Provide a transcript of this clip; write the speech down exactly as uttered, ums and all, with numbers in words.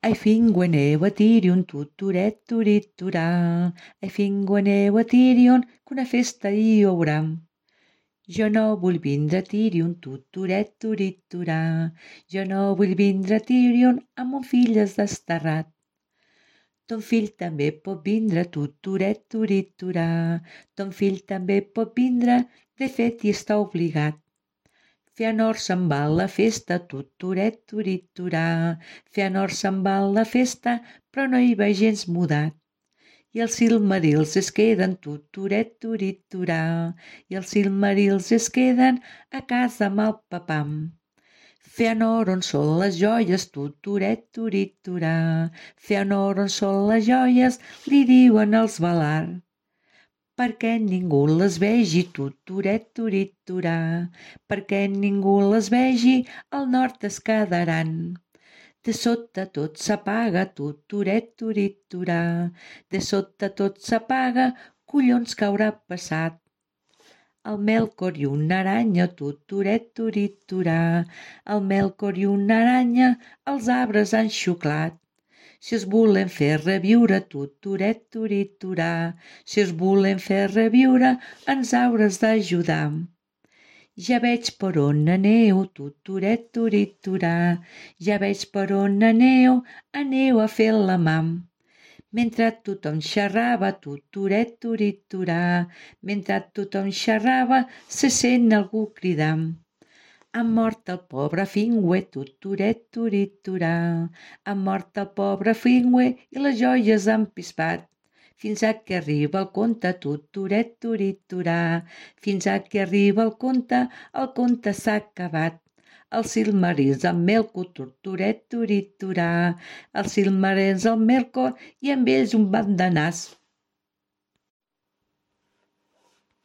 Ai fingueneu a Tirion tuturet turiturà, ai fingueneu a Tirion qu'una festa hi haurà. Jo no vull vindre a Tirion tuturet turiturà, jo no vull vindre a Tirion amb mon fill desterrat. Ton fill també pot vindre tuturet turiturà, ton fill també pot vindre, de fet hi està obligat. Feanor se'n va a la festa, tuturet turiturà, Feanor se'n va a la festa, però no hi va gens mudat. I els silmarils es queden tuturet turiturà, i els silmarils es queden a casa amb el papam. Feanor, on són les joies, tuturet turiturà, Feanor, on són les joies, li diuen els Valar. Perquè ningú les vegi, tuturet turiturà, perquè ningú les vegi, al nord es quedaran. De sota tot s'apaga, tuturet turiturà, de sota tot s'apaga, collons que haurà passat. El Melkor i una aranya, tuturet turiturà, el Melkor i una aranya, els arbres han xuclat. Si es volen fer reviure, tuturet turiturà, si es volen fer reviure, ens hauràs d'ajudar. Ja veig per on aneu, tuturet turiturà, ja veig per on aneu, aneu a fer la mà. Mentre tothom xerrava, tuturet turiturà, mentre tothom xerrava, se sent algú cridar. Ha mort el pobre Finwë, tuturet turiturà, ha mort el pobre Finwë i les joies han pispat. Fins a que arriba el conte, tuturet turiturà, fins a que arriba el conte, el conte s'ha acabat. Els silmarils amb Melkor, tuturet turiturà, els silmarils amb Melkor i amb ells un ban de nas.